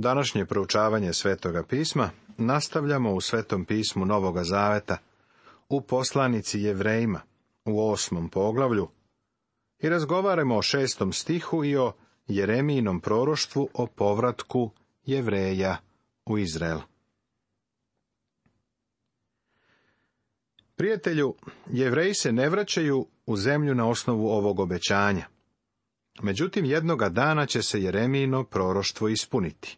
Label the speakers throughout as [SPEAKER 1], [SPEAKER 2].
[SPEAKER 1] Današnje proučavanje Svetoga pisma nastavljamo u Svetom pismu Novoga Zaveta, u poslanici Jevrejima, u 8. poglavlju, i razgovaramo o 6. stihu i o Jeremijinom proroštvu o povratku Jevreja u Izrael. Prijatelju, Jevreji se ne vraćaju u zemlju na osnovu ovog obećanja. Međutim, jednoga dana će se Jeremijino proroštvo ispuniti.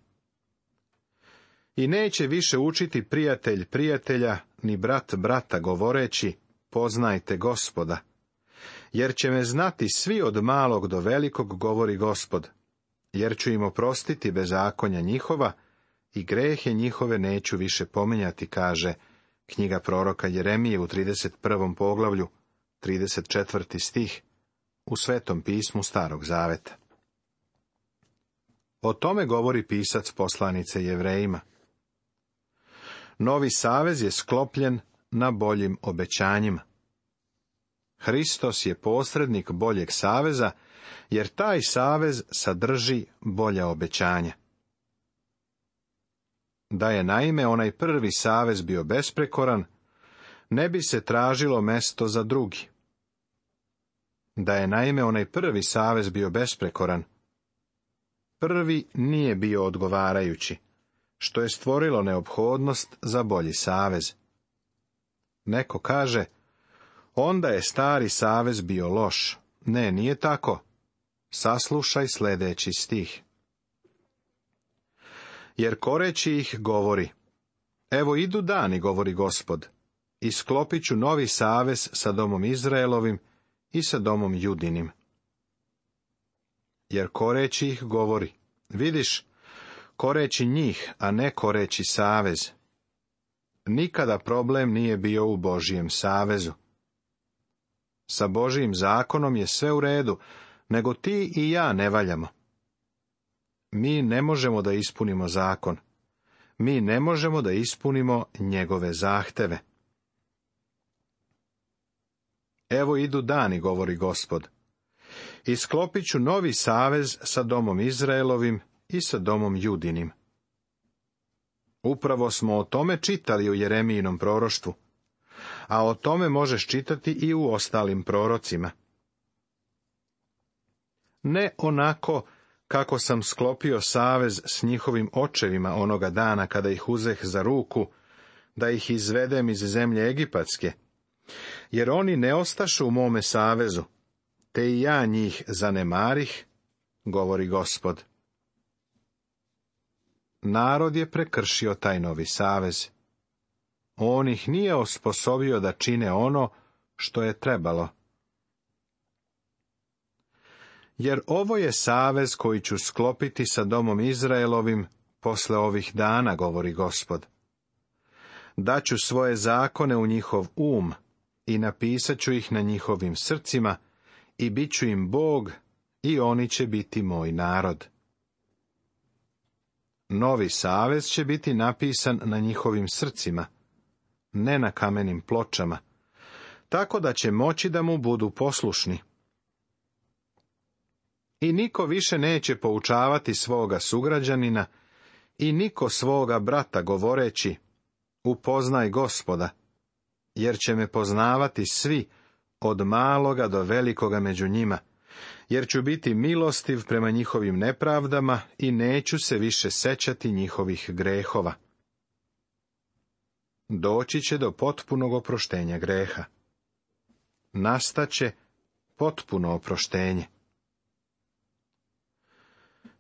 [SPEAKER 1] I neće više učiti prijatelj prijatelja, ni brat brata govoreći, poznajte Gospoda, jer će me znati svi od malog do velikog, govori Gospod, jer ću im oprostiti bezakonja njihova i grehe njihove neću više pominjati, kaže knjiga proroka Jeremije u 31. poglavlju, 34. stih, u Svetom pismu Starog Zaveta. O tome govori pisac poslanice Jevrejima. Novi savez je sklopljen na boljim obećanjima. Hristos je posrednik boljeg saveza, jer taj savez sadrži bolja obećanja. Da je naime onaj prvi savez bio besprekoran, ne bi se tražilo mesto za drugi. Da je naime onaj prvi savez bio besprekoran, prvi nije bio odgovarajući, što je stvorilo neophodnost za bolji savez. Neko kaže, onda je stari savez bio loš. Ne, nije tako. Saslušaj sljedeći stih. Jer koreći ih govori, evo idu dani, govori Gospod, i sklopit ću novi savez sa domom Izraelovim i sa domom Judinim. Jer koreći ih govori, vidiš, koreći njih, a ne koreći savez. Nikada problem nije bio u Božijem savezu. Sa Božijim zakonom je sve u redu, nego ti i ja ne valjamo. Mi ne možemo da ispunimo zakon. Mi ne možemo da ispunimo njegove zahteve. Evo idu dani, govori Gospod, i sklopit ću novi savez sa domom Izraelovim i sa domom Judinim. Upravo smo o tome čitali u Jeremijinom proroštvu, a o tome možeš čitati i u ostalim prorocima. Ne onako kako sam sklopio savez s njihovim očevima onoga dana kada ih uzeh za ruku, da ih izvedem iz zemlje Egipatske, jer oni ne ostašu u mome savezu, te i ja njih zanemarih, govori Gospod. Narod je prekršio taj novi savez. On ih nije osposobio da čine ono što je trebalo. Jer ovo je savez koji ću sklopiti sa domom Izraelovim posle ovih dana, govori Gospod. Daću svoje zakone u njihov i napisat ću ih na njihovim srcima i bit ću im Bog i oni će biti moj narod. Novi savez će biti napisan na njihovim srcima, ne na kamenim pločama, tako da će moći da mu budu poslušni. I niko više neće poučavati svoga sugrađanina i niko svoga brata govoreći, upoznaj Gospoda, jer će me poznavati svi, od maloga do velikoga među njima, jer ću biti milostiv prema njihovim nepravdama i neću se više sećati njihovih grehova. Doći će do potpunog oproštenja greha. Nastaće potpuno oproštenje.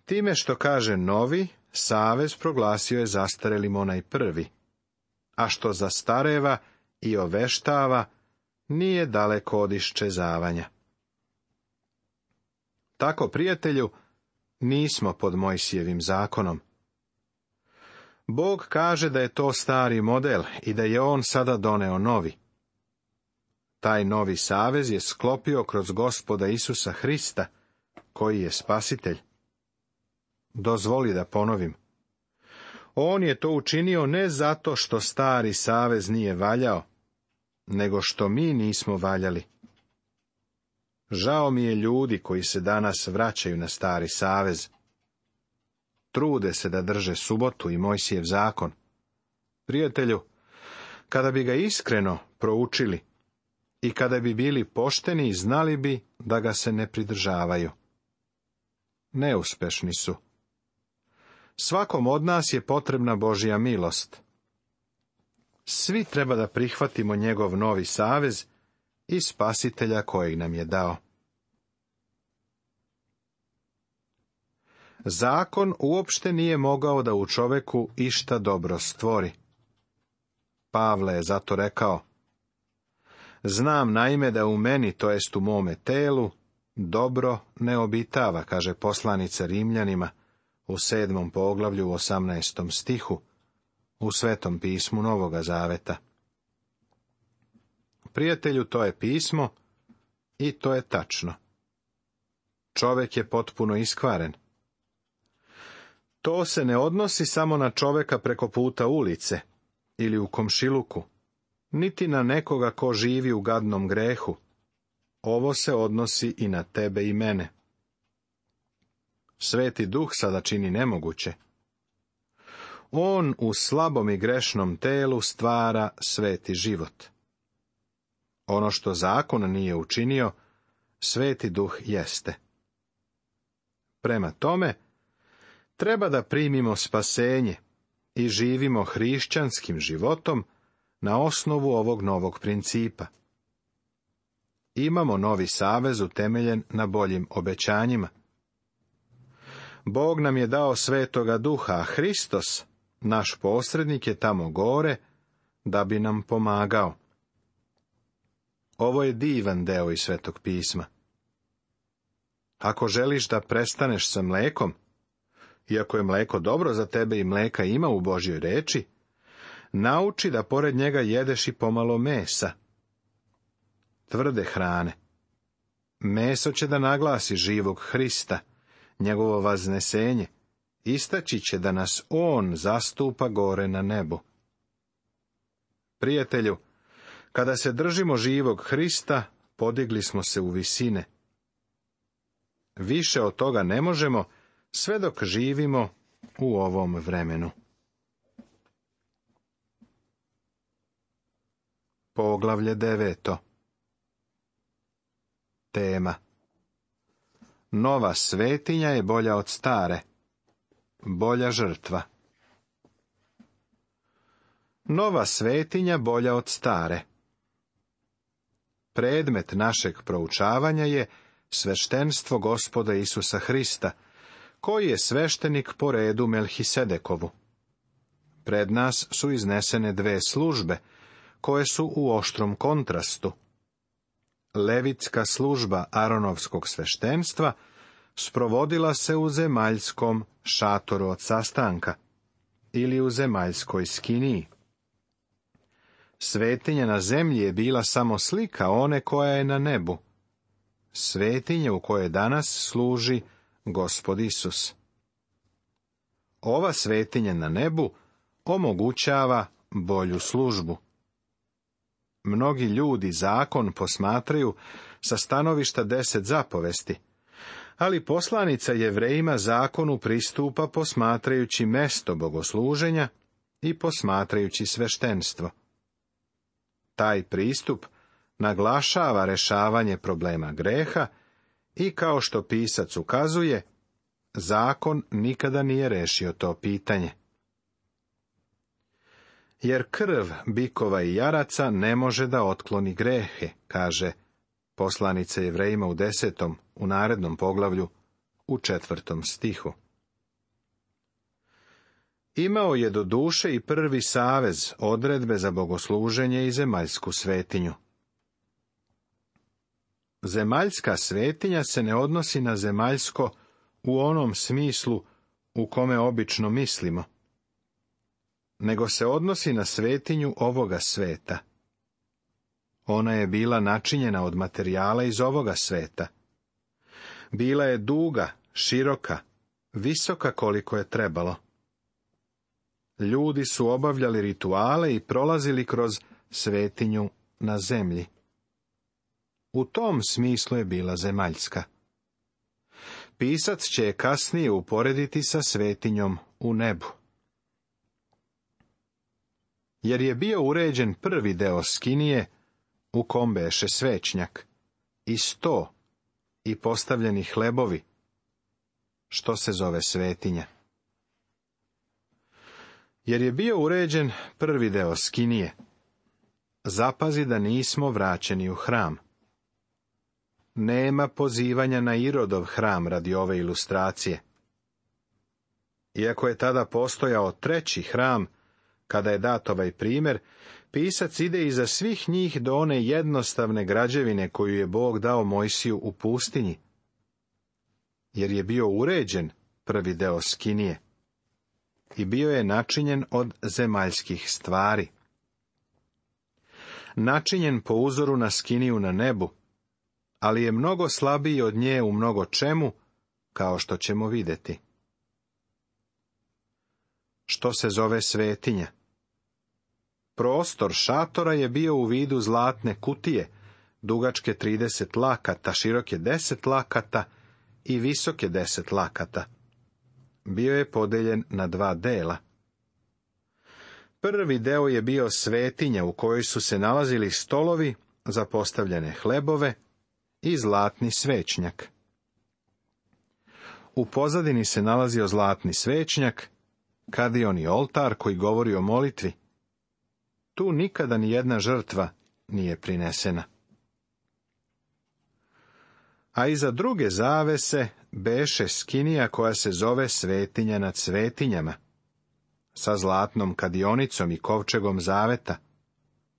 [SPEAKER 1] Time što kaže novi, savez proglasio je zastarelim onaj prvi, a što zastareva i oveštava, nije daleko od iščezavanja. Tako, prijatelju, nismo pod Mojsijevim zakonom. Bog kaže da je to stari model i da je on sada doneo novi. Taj novi savez je sklopio kroz Gospoda Isusa Hrista, koji je spasitelj. Dozvoli da ponovim. On je to učinio ne zato što stari savez nije valjao, nego što mi nismo valjali. Žao mi je ljudi koji se danas vraćaju na stari savez. trude se da drže subotu i Mojsijev zakon. Prijatelju, kada bi ga iskreno proučili i kada bi bili pošteni, znali bi da ga se ne pridržavaju. Neuspešni su. Svakom od nas je potrebna Božja milost. Svi treba da prihvatimo njegov novi savez i Spasitelja kojeg nam je dao. Zakon uopšte nije mogao da u čoveku išta dobro stvori. Pavle je zato rekao: znam naime da u meni, to jest u mome telu, dobro ne obitava, kaže poslanica Rimljanima u 7. poglavlju u 18. stihu, u Svetom pismu Novoga Zaveta. Prijatelju, to je pismo i to je tačno. Čovek je potpuno iskvaren. To se ne odnosi samo na čoveka preko puta ulice ili u komšiluku, niti na nekoga ko živi u gadnom grehu. Ovo se odnosi i na tebe i mene. Sveti Duh sada čini nemoguće. On u slabom i grešnom telu stvara sveti život. Ono što zakon nije učinio, Sveti Duh jeste. Prema tome, treba da primimo spasenje i živimo hrišćanskim životom na osnovu ovog novog principa. Imamo novi savez utemeljen na boljim obećanjima. Bog nam je dao Svetoga Duha, a Hristos, naš posrednik, je tamo gore da bi nam pomagao. Ovo je divan deo iz Svetog pisma. Ako želiš da prestaneš sa mlekom, iako je mleko dobro za tebe i mleka ima u Božjoj reči, nauči da pored njega jedeš i pomalo mesa, tvrde hrane. Meso će da naglasi živog Hrista, njegovo vaznesenje, istaći će da nas on zastupa gore na nebu. Prijatelju, kada se držimo živog Hrista, podigli smo se u visine. Više od toga ne možemo, sve dok živimo u ovom vremenu. Poglavlje 9. Tema: nova svetinja je bolja od stare, bolja žrtva. Nova svetinja bolja od stare. Predmet našeg proučavanja je sveštenstvo Gospoda Isusa Hrista, koji je sveštenik po redu Melhisedekovu. Pred nas su iznesene dve službe, koje su u oštrom kontrastu. Levitska služba Aronovskog sveštenstva sprovodila se u zemaljskom šatoru od sastanka ili u zemaljskoj skiniji. Svetinja na zemlji je bila samo slika one koja je na nebu, svetinje u kojoj danas služi Gospod Isus. Ova svetinja na nebu omogućava bolju službu. Mnogi ljudi zakon posmatraju sa stanovišta 10 zapovesti, ali poslanica Jevrejima zakonu pristupa posmatrajući mesto bogosluženja i posmatrajući sveštenstvo. Taj pristup naglašava rešavanje problema greha i, kao što pisac ukazuje, zakon nikada nije rešio to pitanje. Jer krv bikova i jaraca ne može da otkloni grehe, kaže poslanica Jevrejima u 10. u narednom poglavlju u 4. stihu. Imao je do duše i prvi savez odredbe za bogosluženje i zemaljsku svetinju. Zemaljska svetinja se ne odnosi na zemaljsko u onom smislu u kome obično mislimo, nego se odnosi na svetinju ovoga sveta. Ona je bila načinjena od materijala iz ovoga sveta. Bila je duga, široka, visoka koliko je trebalo. Ljudi su obavljali rituale i prolazili kroz svetinju na zemlji. U tom smislu je bila zemaljska. pisac će je kasnije uporediti sa svetinjom u nebu. Jer je bio uređen prvi deo skinije, u kom beše svećnjak, i sto, i postavljeni hlebovi, što se zove svetinja. Jer je bio uređen prvi deo skinije, zapazi da nismo vraćeni u hram. Nema pozivanja na Irodov hram radi ove ilustracije. Iako je tada postojao treći hram, kada je dat ovaj primjer, pisac ide iza svih njih do one jednostavne građevine koju je Bog dao Mojsiju u pustinji. Jer je bio uređen prvi deo skinije i bio je načinjen od zemaljskih stvari. Načinjen po uzoru na skiniju na nebu, ali je mnogo slabiji od nje u mnogo čemu, kao što ćemo vidjeti. Što se zove svetinja? Prostor šatora je bio u vidu zlatne kutije, dugačke 30 lakata, široke 10 lakata i visoke 10 lakata. Bio je podeljen na 2 dela. Prvi deo je bio svetinja u kojoj su se nalazili stolovi za postavljene hlebove i zlatni svećnjak. U pozadini se nalazio zlatni svećnjak, kadion i oltar koji govori o molitvi. Tu nikada ni jedna žrtva nije prinesena. A iza druge zavese beše skinija koja se zove svetinja nad svetinjama, sa zlatnom kadionicom i kovčegom zaveta,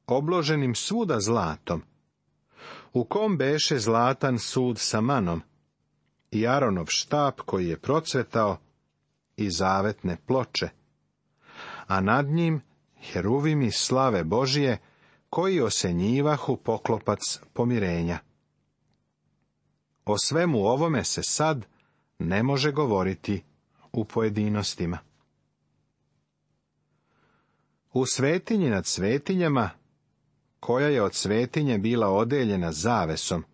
[SPEAKER 1] obloženim svuda zlatom, u kom beše zlatan sud sa manom, i Aronov štap koji je procvetao, i zavetne ploče, a nad njim heruvimi slave Božije, koji osenjivahu poklopac pomirenja. O svemu ovome se sad ne može govoriti u pojedinostima. U svetinji nad svetinjama, koja je od svetinje bila odeljena zavesom,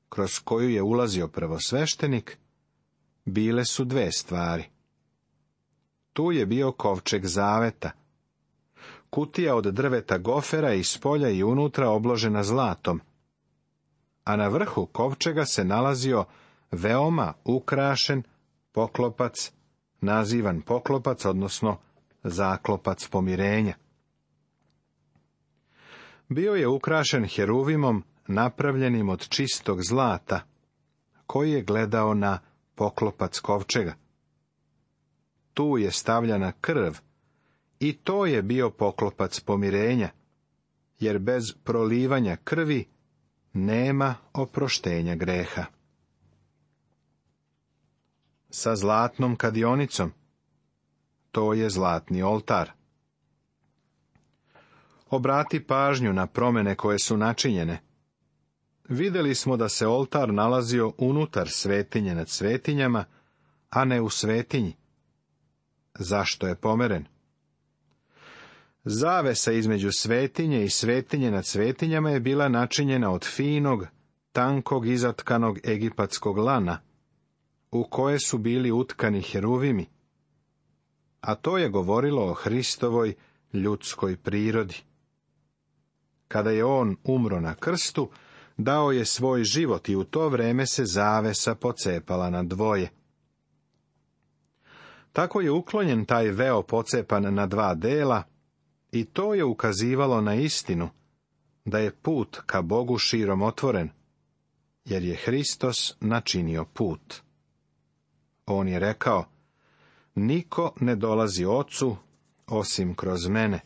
[SPEAKER 1] kroz koju je ulazio prvosveštenik, bile su 2 stvari. Tu je bio kovčeg zaveta, kutija od drveta gofera i spolja i unutra obložena zlatom, a na vrhu kovčega se nalazio veoma ukrašen poklopac, nazivan poklopac, odnosno zaklopac pomirenja. Bio je ukrašen heruvimom napravljenim od čistog zlata, koji je gledao na poklopac kovčega. Tu je stavljana krv, i to je bio poklopac pomirenja, jer bez prolivanja krvi nema oproštenja greha. Sa zlatnom kadionicom, to je zlatni oltar. Obrati pažnju na promjene koje su načinjene. Vidjeli smo da se oltar nalazio unutar svetinje nad svetinjama, a ne u svetinji. Zašto je pomeren? Zavesa između svetinje i svetinje nad svetinjama je bila načinjena od finog, tankog izatkanog egipatskog lana, u koje su bili utkani heruvimi, a to je govorilo o Hristovoj ljudskoj prirodi. Kada je on umro na krstu, dao je svoj život i u to vreme se zavesa pocepala na 2. Tako je uklonjen taj veo pocepan na 2 dela, i to je ukazivalo na istinu, da je put ka Bogu širom otvoren, jer je Hristos načinio put. On je rekao, niko ne dolazi Ocu, osim kroz mene.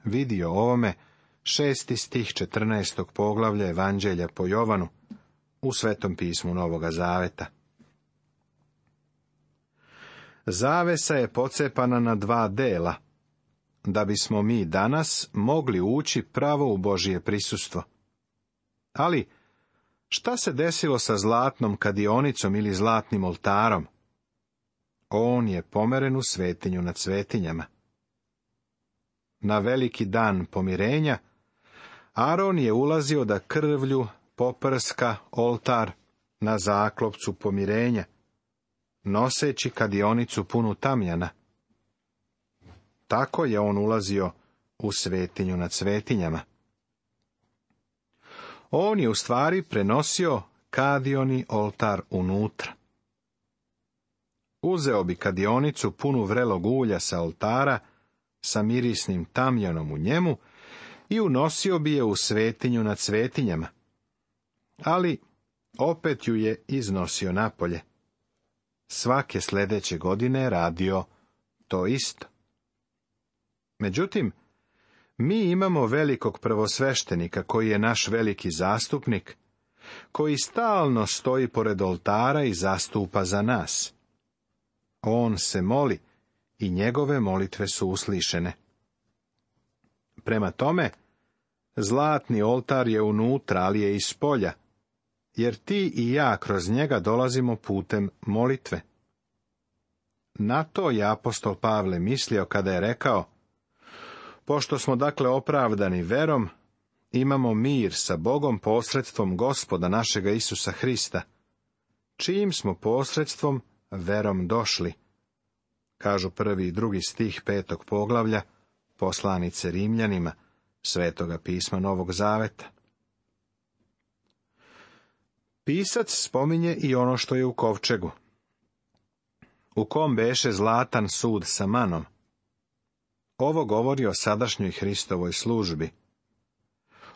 [SPEAKER 1] Vidi o ovome 6. stih 14. poglavlja Evanđelja po Jovanu, u Svetom pismu Novoga Zaveta. Zavesa je pocepana na 2 dela, da bismo mi danas mogli ući pravo u Božje prisustvo. Ali, šta se desilo sa zlatnom kadionicom ili zlatnim oltarom? On je pomeren u svetinju nad svetinjama. Na veliki dan pomirenja, Aron je ulazio da krvlju poprska oltar na zaklopcu pomirenja, noseći kadionicu punu tamjana. Tako je on ulazio u svetinju nad svetinjama. On je u stvari prenosio kadioni oltar unutra. Uzeo bi kadionicu punu vrelog ulja sa oltara, sa mirisnim tamjanom u njemu, i unosio bi je u svetinju nad svetinjama. Ali opet ju je iznosio napolje. Svake sljedeće godine je radio to isto. Međutim, mi imamo velikog prvosveštenika koji je naš veliki zastupnik, koji stalno stoji pored oltara i zastupa za nas. On se moli i njegove molitve su uslišene. Prema tome, zlatni oltar je unutra, ali je iz polja, jer ti i ja kroz njega dolazimo putem molitve. Na to je apostol Pavle mislio kada je rekao: pošto smo dakle opravdani verom, imamo mir sa Bogom posredstvom Gospoda našega Isusa Hrista, čijim smo posredstvom verom došli. Kažu 1. i 2. stih 5. poglavlja poslanice Rimljanima, Svetoga pisma Novog Zaveta. Pisac spominje i ono što je u kovčegu, u kom beše zlatan sud sa manom. Ovo govori o sadašnjoj Hristovoj službi.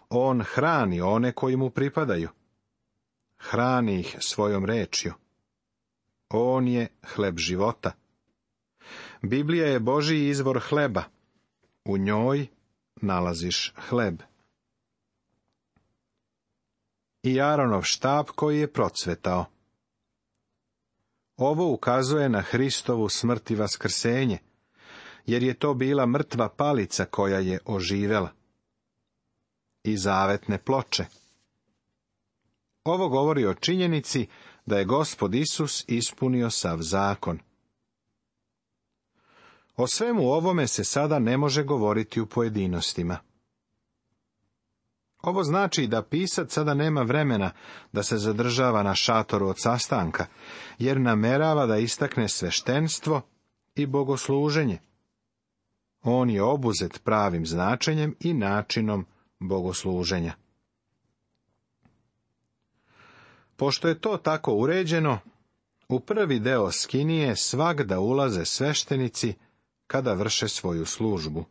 [SPEAKER 1] On hrani one koji mu pripadaju. Hrani ih svojom rečju. On je hleb života. Biblija je Božji izvor hleba. U njoj nalaziš hleb. I Aronov štap koji je procvetao. Ovo ukazuje na Hristovu smrt i vaskrsenje, jer je to bila mrtva palica koja je oživela. I zavetne ploče. Ovo govori o činjenici da je Gospod Isus ispunio sav zakon. O svemu ovome se sada ne može govoriti u pojedinostima. Ovo znači da pisac sada nema vremena da se zadržava na šatoru od sastanka, jer namerava da istakne sveštenstvo i bogosluženje. On je obuzet pravim značenjem i načinom bogosluženja. Pošto je to tako uređeno, u prvi deo skinije svagda ulaze sveštenici kada vrše svoju službu.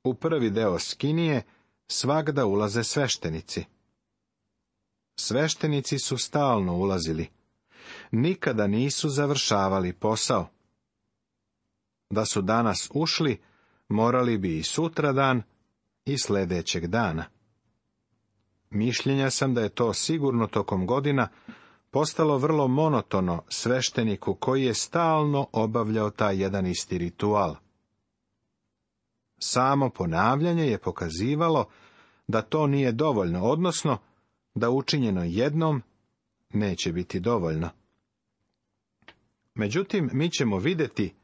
[SPEAKER 1] U prvi deo skinije svagda ulaze sveštenici. Sveštenici su stalno ulazili. Nikada nisu završavali posao. Da su danas ušli, morali bi i sutradan i sljedećeg dana. Mišljenja sam da je to sigurno tokom godina postalo vrlo monotono svešteniku koji je stalno obavljao taj jedan isti ritual. Samo ponavljanje je pokazivalo da to nije dovoljno, odnosno da učinjeno jednom neće biti dovoljno. Međutim, mi ćemo vidjeti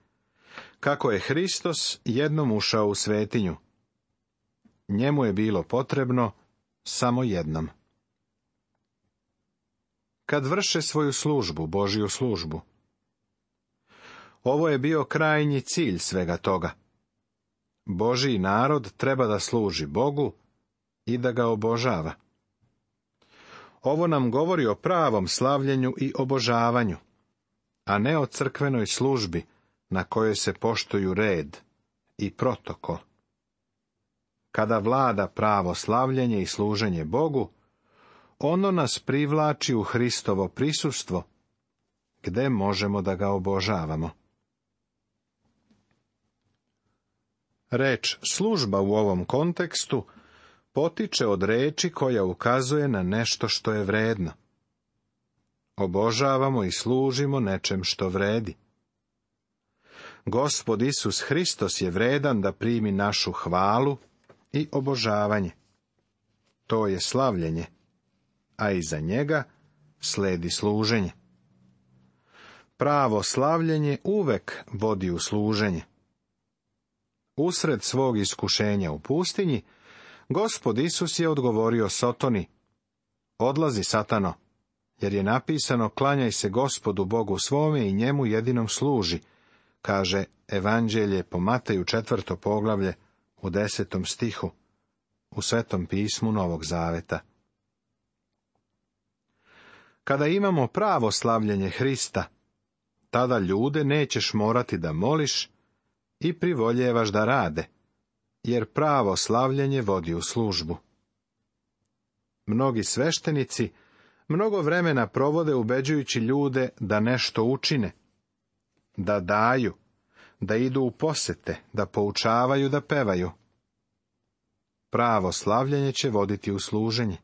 [SPEAKER 1] kako je Hristos jednom ušao u svetinju. Njemu je bilo potrebno samo jednom. Kad vrše svoju službu, Božju službu. Ovo je bio krajnji cilj svega toga. Božji narod treba da služi Bogu i da ga obožava. Ovo nam govori o pravom slavljenju i obožavanju, a ne o crkvenoj službi na kojoj se poštuju red i protokol. Kada vlada pravo slavljenje i služenje Bogu, ono nas privlači u Hristovo prisustvo, gde možemo da ga obožavamo. Reč služba u ovom kontekstu potiče od reči koja ukazuje na nešto što je vredno. Obožavamo i služimo nečem što vredi. Gospod Isus Hristos je vredan da primi našu hvalu i obožavanje. To je slavljenje, a iza njega sledi služenje. Pravo slavljenje uvek vodi u služenje. Usred svog iskušenja u pustinji, Gospod Isus je odgovorio Sotoni: odlazi, Satano, jer je napisano: klanjaj se Gospodu Bogu svome i njemu jedinom služi, kaže Evanđelje po Mateju 4. poglavlje u 10. stihu u Svetom pismu Novog Zaveta. Kada imamo pravo slavljenje Hrista, tada ljude nećeš morati da moliš i privoljevaš da rade, jer pravo slavljenje vodi u službu. Mnogi sveštenici mnogo vremena provode ubeđujući ljude da nešto učine, da daju, da idu u posete, da poučavaju, da pevaju. Pravo slavljenje će voditi u služenje.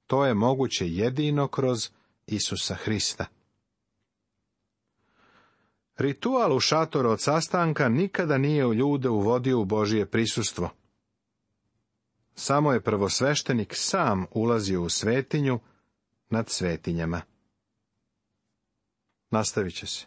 [SPEAKER 1] To je moguće jedino kroz Isusa Hrista. Ritual u šatoru od sastanka nikada nije u ljude uvodio u Božje prisustvo. Samo je prvosveštenik sam ulazio u svetinju nad svetinjama. Nastavit će se.